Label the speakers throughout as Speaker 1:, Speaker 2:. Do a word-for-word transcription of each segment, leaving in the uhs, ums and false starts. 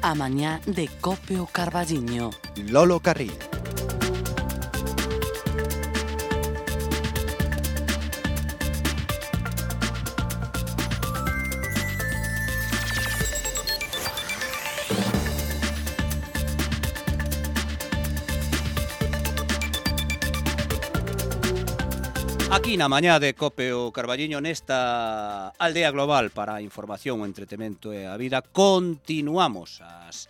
Speaker 1: A mañá de Cope o Carballiño.
Speaker 2: Lolo Carril.
Speaker 3: Aquí na mañá de Cope o Carballiño, nesta aldea global para a información, o entretemento e a vida, continuamos ás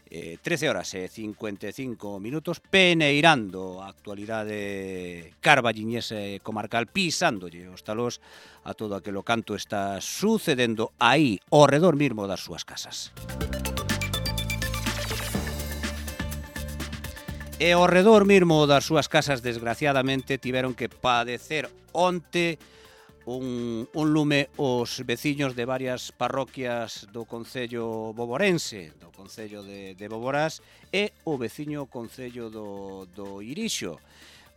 Speaker 3: eh, trece horas e cincuenta e cinco minutos peneirando a actualidade carballiñese comarcal, pisándolle os talós a todo aquilo canto está sucedendo aí, ao redor mismo das súas casas. E ao redor mismo das súas casas, desgraciadamente, tiveron que padecer onte un, un lume os veciños de varias parroquias do concello boborense, do concello de, de Boborás, e o veciño concello do, do Irixo.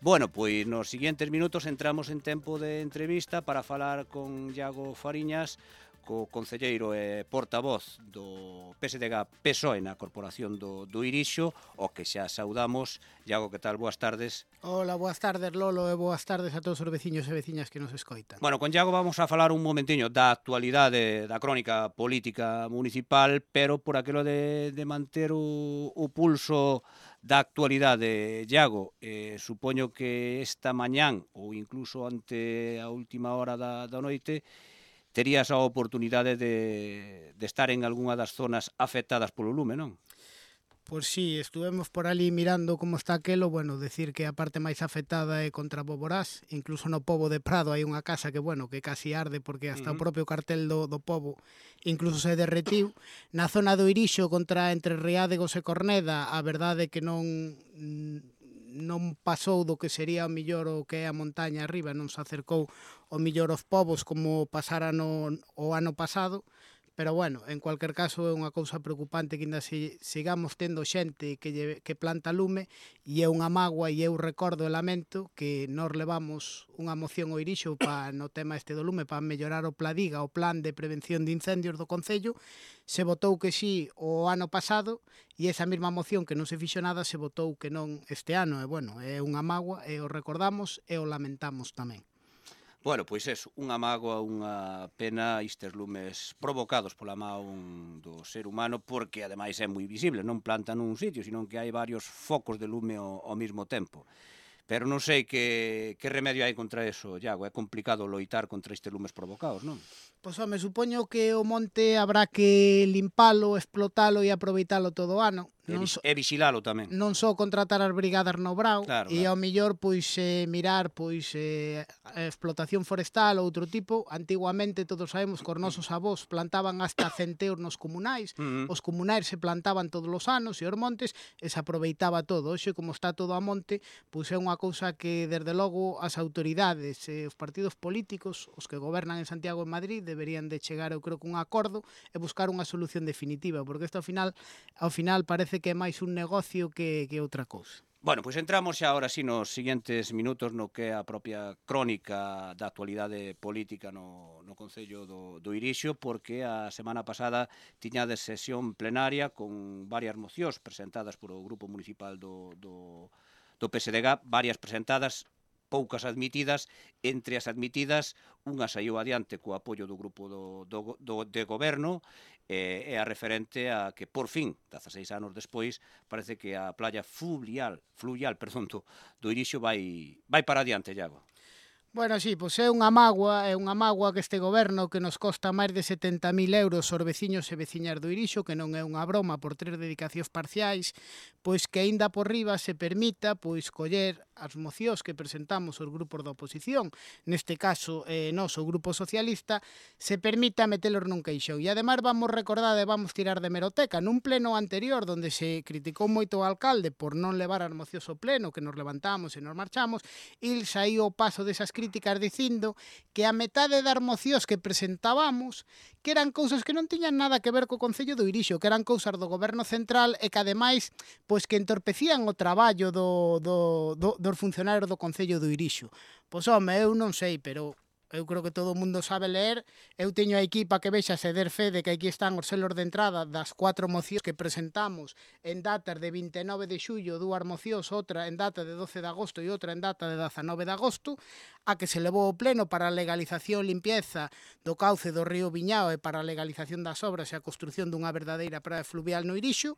Speaker 3: Bueno, pois nos seguintes minutos entramos en tempo de entrevista para falar con Iago Fariñas, co concelleiro e portavoz do P S D G P S O E na Corporación do, do Irixo, o que xa saudamos. Iago, que tal? Boas tardes.
Speaker 4: Hola, boas tardes, Lolo, e boas tardes a todos os veciños e veciñas que nos escoitan.
Speaker 3: Bueno, con Iago vamos a falar un momentiño da actualidade da crónica política municipal, pero por aquilo de, de manter o, o pulso da actualidade, Iago, eh, supoño que esta mañán, ou incluso ante a última hora da, da noite, terías a oportunidade de, de estar en algunha das zonas afectadas polo lume, non?
Speaker 4: Pois sí, estuvemos por ali mirando como está aquelo, bueno, decir que a parte máis afectada é contra Boborás, incluso no Pobo de Prado hai unha casa que, bueno, que casi arde porque hasta uh-huh. o propio cartel do, do Pobo incluso se derretiu. Na zona do Irixo contra entre Riádegos e Corneda, a verdade é que non... non pasou do que sería o millor o que é a montaña arriba, non se acercou o millor aos povos como pasara no, o ano pasado, pero bueno, en cualquier caso é unha cousa preocupante que ainda si, sigamos tendo xente que, lle, que planta lume, e é unha mágoa, e eu recordo e lamento que nós levamos unha moción ao Irixo pa, no tema este do lume para mellorar o Pladiga, o plan de prevención de incendios do Concello. Se votou que sí o ano pasado, e esa mesma moción que non se fixo nada se votou que non este ano, e bueno, é unha mágoa, e o recordamos e o lamentamos tamén.
Speaker 3: Bueno, pois é unha mágoa, unha pena, estes lumes provocados pola mão do ser humano, porque ademais é moi visible, non plantan nun sitio, sino que hai varios focos de lume ao, ao mesmo tempo. Pero non sei que, que remedio hai contra eso, Iago, é complicado loitar contra estes lumes provocados, non?
Speaker 4: Pois, home, supoño que o monte habrá que limpalo, explotalo e aproveitalo todo o ano.
Speaker 3: E, vis, so, e vigilalo tamén.
Speaker 4: Non só contratar as brigadas no Brao,
Speaker 3: claro,
Speaker 4: e
Speaker 3: claro.
Speaker 4: ao millor pois eh, mirar pois eh, a explotación forestal ou outro tipo. Antiguamente todos sabemos que os nosos avós plantaban hasta centeos nos comunais, uh -huh. os comunais se plantaban todos os anos e os montes e se aproveitaba todo. Hoxe, como está todo a monte, pois é unha cousa que desde logo as autoridades e os partidos políticos, os que gobernan en Santiago e Madrid, deberían de chegar, eu creo, que un acordo e buscar unha solución definitiva, porque isto ao final ao final parece que é máis un negocio que, que outra cousa.
Speaker 3: Bueno, pois entramos xa ahora sí nos seguintes minutos no que é a propia crónica da actualidade política no, no Concello do, do Irixo, porque a semana pasada tiñades sesión plenaria con varias mocións presentadas por o Grupo Municipal do, do, do P S D G, varias presentadas, poucas admitidas. Entre as admitidas, unha saiu adiante co apoio do grupo do, do, do, de goberno, e, e a referente a que, por fin, dezaseis anos despois, parece que a playa fluvial, fluvial perdón, do, do Irixo vai, vai para adiante, Iago.
Speaker 4: Bueno, sí, pois é unha mágoa, é unha mágoa que este goberno que nos costa máis de setenta mil euros aos veciños e veciñas do Irixo, que non é unha broma por tres dedicacións parciais, pois que aínda por riba se permita pois coller as mocións que presentamos os grupos da oposición, neste caso eh, nós, o Grupo Socialista, se permita metelos nun queixón. E ademais vamos recordar e vamos tirar de meroteca. Nun pleno anterior, donde se criticou moito o alcalde por non levar as mocións ao pleno, que nos levantamos e nos marchamos, il saíu o paso desas críticas dicindo que a metade das mocións que presentábamos que eran cousas que non tiñan nada que ver co Concello do Irixo, que eran cousas do Goberno Central e que ademais pois que entorpecían o traballo do, do, do, dos funcionarios do Concello do Irixo. Pois home, eu non sei, pero eu creo que todo o mundo sabe ler, eu teño a equipa que vexa se der fe de que aquí están os selos de entrada das cuatro mocións que presentamos en datas de vinte e nove de xullo, dúas mocións, outra en data de doce de agosto e outra en data de dezanove de agosto, a que se levou ao pleno para a legalización e limpieza do cauce do río Viñao e para a legalización das obras e a construción dunha verdadeira praia fluvial no Irixo.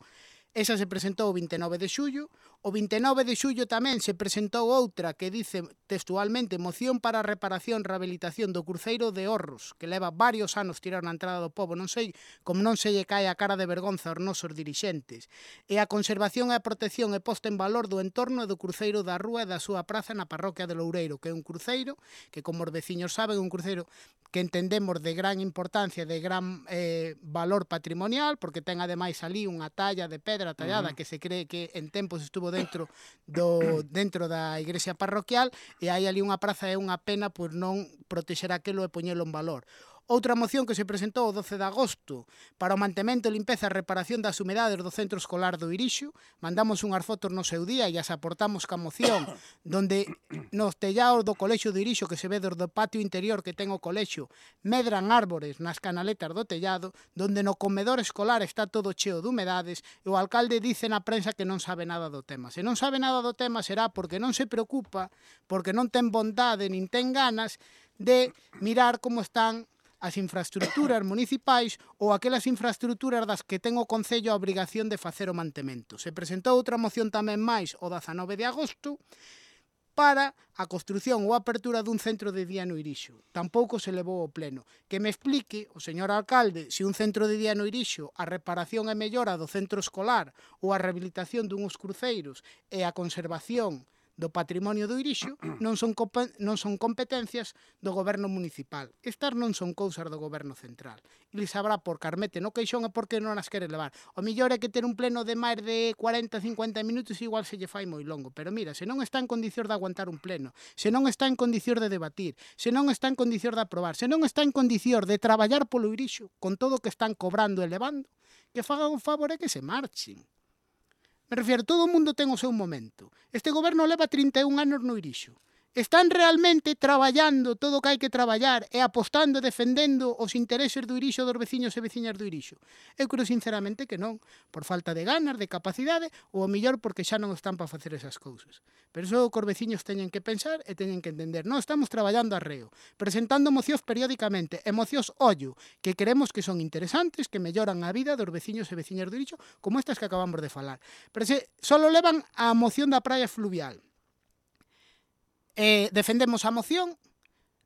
Speaker 4: Esa se presentou o vinte e nove de xullo. O vinte e nove de xullo tamén se presentou outra que dice textualmente moción para a reparación e rehabilitación do cruceiro de Orros, que leva varios anos tirar na entrada do pobo, non sei como non se lle cae a cara de vergonza aos nosos dirixentes. E a conservación e a protección e posta en valor do entorno do cruceiro da Rúa e da súa praza na parroquia de Loureiro, que é un cruceiro que, como os veciños saben, é un cruceiro que entendemos de gran importancia, de gran eh, valor patrimonial, porque ten ademais ali unha talla de pedra tallada uh -huh. que se cree que en tempos estuvo dentro do dentro da igrexa parroquial, e hai ali unha praza, é unha pena por non protexer aquelo e poñelo en valor. Outra moción que se presentou o doce de agosto para o mantemento, limpeza e reparación das humedades do centro escolar do Irixo. Mandamos unhas fotos no seu día e as aportamos ca moción, donde nos tellaos do colexio do Irixo, que se ve desde o patio interior que ten o colexio, medran árbores nas canaletas do tellado, donde no comedor escolar está todo cheo de humedades, e o alcalde dice na prensa que non sabe nada do tema. Se non sabe nada do tema será porque non se preocupa, porque non ten bondade nin ten ganas de mirar como están as infraestructuras municipais ou aquelas infraestructuras das que ten o Concello a obrigación de facer o mantemento. Se presentou outra moción tamén máis o dezanove de agosto para a construción ou apertura dun centro de día no Irixo. Tampouco se levou ao pleno. Que me explique o señor alcalde se un centro de día no Irixo, a reparación e mellora do centro escolar ou a rehabilitación dunhos cruceiros e a conservación do patrimonio do Irixo non son, non son competencias do goberno municipal. Estas non son cousas do goberno central. E sabrá por carmete no queixón e por que non as quere levar. O millor é que ter un pleno de máis de cuarenta a cincuenta minutos igual se lle fai moi longo. Pero mira, se non está en condicións de aguantar un pleno, se non está en condicións de debatir, se non está en condicións de aprobar, se non está en condicións de traballar polo Irixo con todo o que están cobrando e levando, que fagan un favor e que se marchen. Me refiero, todo o mundo ten o seu momento. Este goberno leva trinta e un anos no Irixo. Están realmente traballando todo o que hai que traballar e apostando e defendendo os intereses do Irixo, dos veciños e veciñas do Irixo? Eu creo sinceramente que non, por falta de ganas, de capacidade, ou o millor porque xa non están para facer esas cousas. Pero iso que os veciños teñen que pensar e teñen que entender. Non estamos traballando arreo, presentando mocións periódicamente, e mocións ollo, que creemos que son interesantes, que melloran a vida dos veciños e veciñas do Irixo, como estas que acabamos de falar. Pero se solo levan a moción da praia fluvial. Eh, defendemos a moción,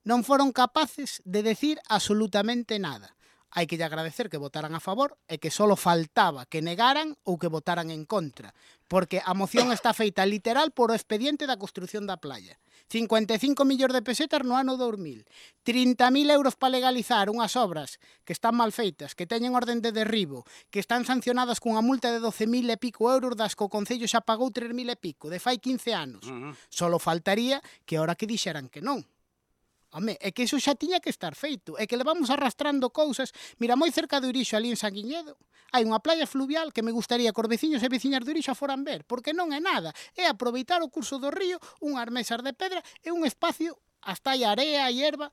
Speaker 4: non foron capaces de decir absolutamente nada. Hai que lle agradecer que votaran a favor e que só faltaba que negaran ou que votaran en contra, porque a moción está feita literal por o expediente da construción da playa. cincuenta e cinco millóns de pesetas no ano dos mil, trinta mil euros para legalizar unhas obras que están mal feitas, que teñen orden de derribo, que están sancionadas cunha multa de doce mil e pico euros, das que o Concello xa pagou tres mil e pico, de fai quince anos. Uh -huh. Solo faltaría que ahora que dixeran que non. Home, é que iso xa tiña que estar feito, é que levamos arrastrando cousas. Mira, moi cerca do Irixo, ali en Sanguiñedo, hai unha playa fluvial que me gustaría que os veciños e veciñas do Irixo foran ver, porque non é nada, é aproveitar o curso do río, unhas mesas de pedra e un espacio, hasta hai area e herba.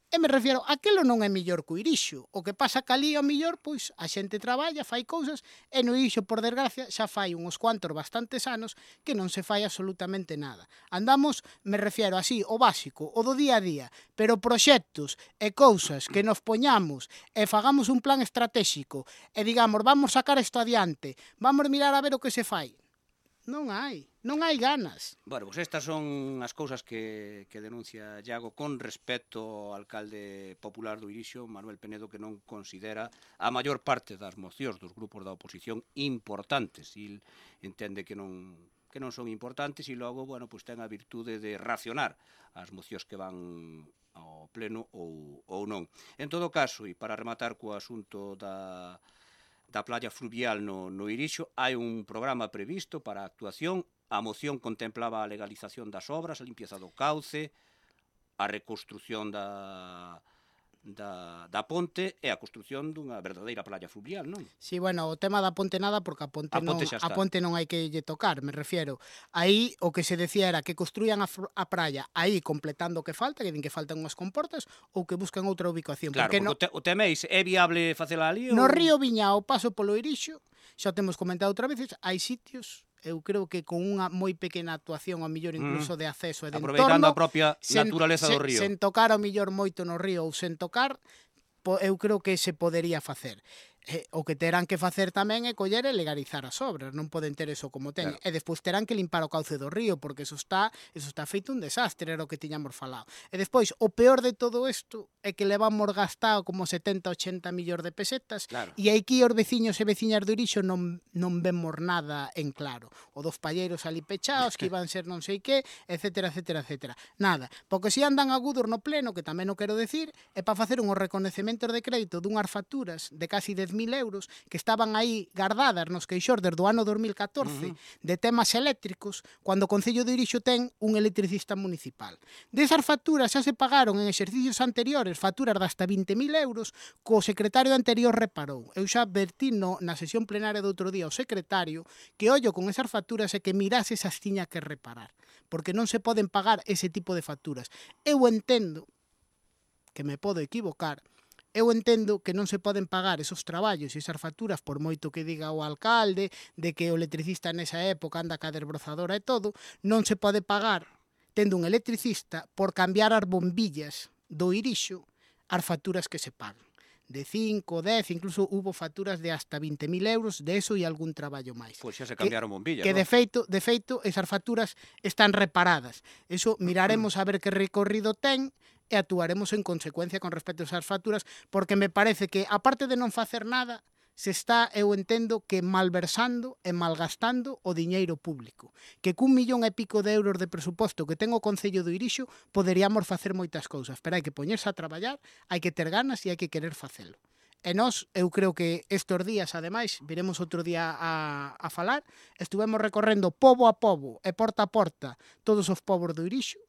Speaker 4: E me refiero, aquelo non é millor que o Irixo. O que pasa que ali, ao millor, pois, a xente traballa, fai cousas, e no Irixo, por desgracia, xa fai uns cuantos bastantes anos que non se fai absolutamente nada. Andamos, me refiero así, o básico, o do día a día, pero proxectos e cousas que nos poñamos e fagamos un plan estratégico e digamos, vamos sacar isto adiante, vamos mirar a ver o que se fai. Non hai, non hai ganas.
Speaker 3: Bueno, pois pues estas son as cousas que, que denuncia Iago con respecto ao alcalde popular do Irixo, Manuel Penedo, que non considera a maior parte das mocións dos grupos da oposición importantes. Il entende que non, que non son importantes e logo, bueno, pues ten a virtude de racionar as mocións que van ao pleno ou, ou non. En todo caso, e para rematar co asunto da... da playa fluvial no, no Irixo, hai un programa previsto para a actuación. A moción contemplaba a legalización das obras, a limpieza do cauce, a reconstrucción da, da, da ponte e a construción dunha verdadeira playa fluvial, non?
Speaker 4: Sí, bueno, o tema da ponte nada, porque a ponte,
Speaker 3: A
Speaker 4: non,
Speaker 3: ponte xa
Speaker 4: a
Speaker 3: está.
Speaker 4: ponte non hai que lle tocar, me refiero. Aí o que se decía era que construían a, a praia aí completando o que falta, que din que faltan unhas comportas, ou que buscan outra ubicación.
Speaker 3: Claro,
Speaker 4: porque,
Speaker 3: porque
Speaker 4: no,
Speaker 3: o, te, o teméis, é viable facela ali?
Speaker 4: no
Speaker 3: ou...
Speaker 4: río Viña ao paso polo Irixo, xa temos comentado outra veces, hai sitios, eu creo que con unha moi pequena actuación, ao mellor incluso
Speaker 3: Mm.
Speaker 4: de acceso e de
Speaker 3: Aproveitando
Speaker 4: entorno,
Speaker 3: a propia
Speaker 4: sen,
Speaker 3: naturaleza
Speaker 4: sen,
Speaker 3: do río.
Speaker 4: sen tocar ao mellor moito no río ou sen tocar, eu creo que se podería facer. Eh, o que terán que facer tamén é coller e legalizar as obras, non poden ter eso como teñen.
Speaker 3: Claro.
Speaker 4: E despois terán que limpar o cauce do río, porque eso está, eso está feito un desastre, era o que tiñamos falado. E despois, o peor de todo isto é que levamos gastado como setenta, ochenta millóns de pesetas,
Speaker 3: Claro.
Speaker 4: e aquí os veciños e veciñas do Irixo non, non vemos nada en claro. O dos palleiros ali pechados, que iban ser non sei que, etcétera, etcétera, etcétera. Nada, porque se andan agudos no pleno, que tamén o quero decir, é para facer unhos reconhecementos de crédito dunhas facturas de casi dez mil euros que estaban aí guardadas nos queixores do ano dos mil catorce uh -huh. de temas eléctricos, cando o Concello de Irixo ten un electricista municipal. Desas facturas xa se pagaron en exercicios anteriores, facturas de hasta vinte mil euros, co secretario anterior reparou. Eu xa advertí no, na sesión plenaria do outro día ao secretario que ollo con esas facturas e que mirase esas tiña que reparar, porque non se poden pagar ese tipo de facturas. Eu entendo, que me podo equivocar, eu entendo que non se poden pagar esos traballos e esas facturas por moito que diga o alcalde de que o electricista nesa época anda ca desbrozadora e todo, non se pode pagar tendo un electricista por cambiar as bombillas do Irixo as facturas que se pagan. De cinco, dez, incluso hubo facturas de hasta vinte mil euros de eso e algún traballo máis.
Speaker 3: Pois xa se cambiaron bombillas,
Speaker 4: Que
Speaker 3: ¿no?
Speaker 4: de feito, de feito, esas facturas están reparadas. Eso miraremos a ver que recorrido ten e actuaremos en consecuencia con respecto a esas facturas, porque me parece que, aparte de non facer nada, se está, eu entendo, que malversando e malgastando o diñeiro público. Que cun millón e pico de euros de presuposto que ten o Concello do Irixo poderíamos facer moitas cousas, pero hai que poñerse a traballar, hai que ter ganas e hai que querer facelo. E nós, eu creo que estes días, ademais, viremos outro día a, a falar, estuvemos recorrendo pobo a pobo e porta a porta todos os pobos do Irixo,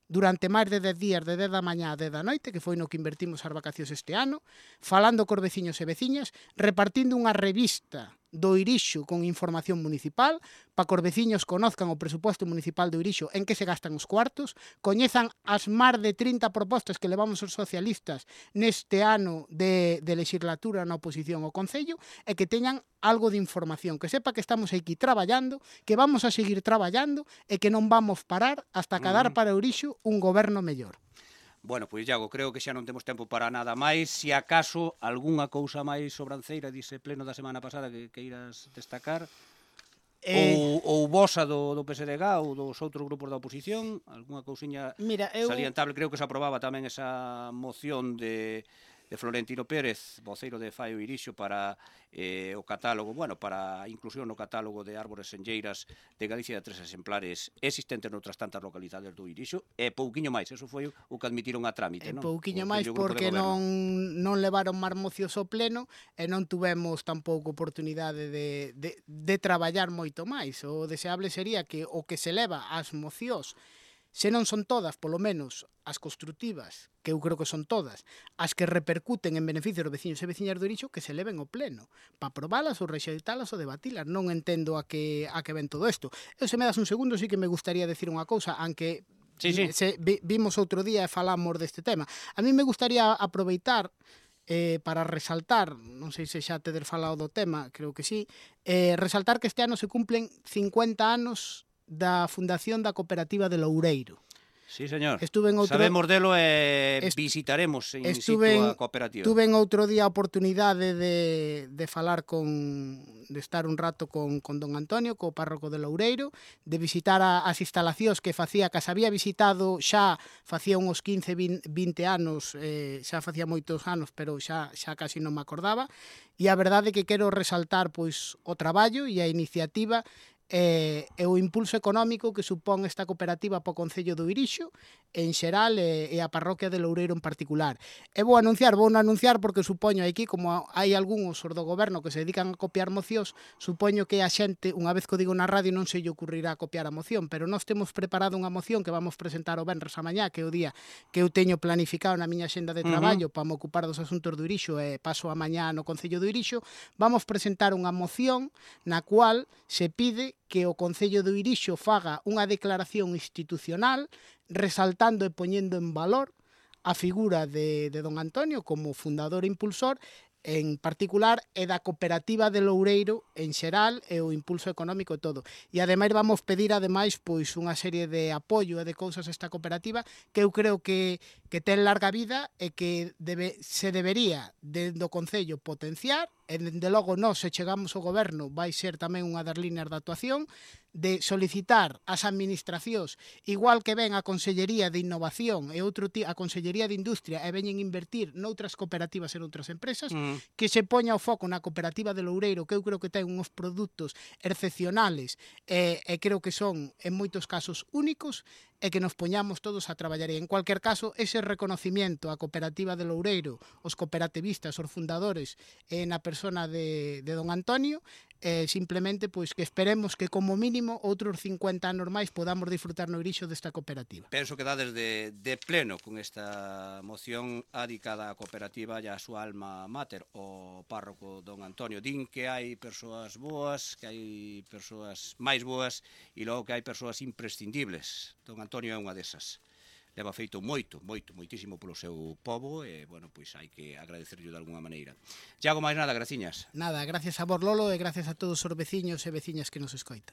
Speaker 4: durante máis de dez días, de dez da mañá a dez da noite, que foi no que invertimos as vacacións este ano, falando cos veciños e veciñas, repartindo unha revista do Irixo con información municipal, para que os veciños conozcan o presuposto municipal do Irixo, en que se gastan os cuartos, coñezan as máis de trinta propostas que levamos os socialistas neste ano de, de legislatura na oposición ao Concello, e que teñan algo de información, que sepa que estamos aquí traballando, que vamos a seguir traballando e que non vamos parar hasta cadar para o Irixo un goberno mellor.
Speaker 3: Bueno, pois, Iago, creo que xa non temos tempo para nada máis. Se acaso, algunha cousa máis sobranceira dise pleno da semana pasada que, que irás destacar? Eh... Ou, ou vosa do, do P S D G ou dos outros grupos da oposición? Algunha cousiña
Speaker 4: Mira, eu...
Speaker 3: salientable? Creo que se aprobaba tamén esa moción de... de Florentino Pérez, voceiro de Fai o Irixo, para eh, o catálogo, bueno, para a inclusión no catálogo de árbores enlleiras de Galicia de tres exemplares existentes noutras tantas localidades do Irixo, e pouquiño máis, eso foi o que admitiron a trámite, non?
Speaker 4: Pouquiño máis porque non, non levaron máis mocios ao pleno e non tuvemos tampouco oportunidade de, de, de traballar moito máis. O deseable sería que o que se leva ás mocións, se non son todas, polo menos as construtivas, que eu creo que son todas, as que repercuten en beneficio dos veciños e veciñas do Irixo, que se leven ao pleno, para aprobalas ou rexeitalas ou debatilas. Non entendo a que, a que ven todo isto. Eu, se me das un segundo, sí que me gustaría decir unha cousa, aunque
Speaker 3: sí, sí.
Speaker 4: Se, vi, vimos outro día e falamos deste tema. A mí me gustaría aproveitar eh, para resaltar, non sei se xa tedes falado do tema, creo que sí, eh, resaltar que este ano se cumplen cincuenta anos da fundación da cooperativa de Loureiro.
Speaker 3: Sí, señor.
Speaker 4: Estuve en outro...
Speaker 3: Sabemos delo e visitaremos in situ a cooperativa.
Speaker 4: Estuve en outro día a oportunidade de, de falar con... de estar un rato con, con don Antonio, co párroco de Loureiro, de visitar a, as instalacións que facía, que as había visitado xa facía uns quince, vinte anos, eh, xa facía moitos anos, pero xa, xa casi non me acordaba, e a verdade é que quero resaltar pois o traballo e a iniciativa e, e o impulso económico que supón esta cooperativa para o Concello do Irixo en xeral e, e a parroquia de Loureiro en particular. E vou anunciar, vou anunciar porque supoño aquí, como hai algúns os do goberno que se dedican a copiar mocións, supoño que a xente, unha vez que o digo na radio, non se lle ocurrirá copiar a moción, pero nós temos preparado unha moción que vamos presentar o venres a mañá, que é o día que eu teño planificado na miña xenda de traballo uh -huh. para me ocupar dos asuntos do Irixo e paso a mañá no Concello do Irixo. Vamos presentar unha moción na cual se pide que o Concello do Irixo faga unha declaración institucional resaltando e poñendo en valor a figura de, de don Antonio como fundador e impulsor en particular e da cooperativa de Loureiro en xeral e o impulso económico e todo. E ademais vamos pedir ademais pois unha serie de apoio e de cousas a esta cooperativa que eu creo que, que ten larga vida e que debe, se debería dende o Concello potenciar e dende logo nós se chegamos ao goberno vai ser tamén unha das líneas de actuación de solicitar ás administracións, igual que ven a Consellería de Innovación e outro a Consellería de Industria e veñen invertir noutras cooperativas e noutras empresas, mm. que se poña o foco na cooperativa de Loureiro, que eu creo que ten uns produtos excepcionales e, e creo que son en moitos casos únicos e que nos poñamos todos a traballar. E en cualquier caso, ese reconocimiento á cooperativa de Loureiro, os cooperativistas, os fundadores, e na persona de, de don Antonio, eh, simplemente pois que esperemos que como mínimo outros cincuenta anos máis podamos disfrutar no Irixo desta cooperativa.
Speaker 3: Penso que dades de, de pleno con esta moción adicada á cooperativa e a súa alma mater, o párroco don Antonio. Din que hai persoas boas, que hai persoas máis boas e logo que hai persoas imprescindibles. Don Antonio é unha desas. Leva feito moito, moito, moitísimo polo seu pobo e, bueno, pois hai que agradecerlle de alguna maneira. Iago, máis nada, graciñas.
Speaker 4: Nada, gracias a vos, Lolo, e gracias a todos os veciños e veciñas que nos escoitan.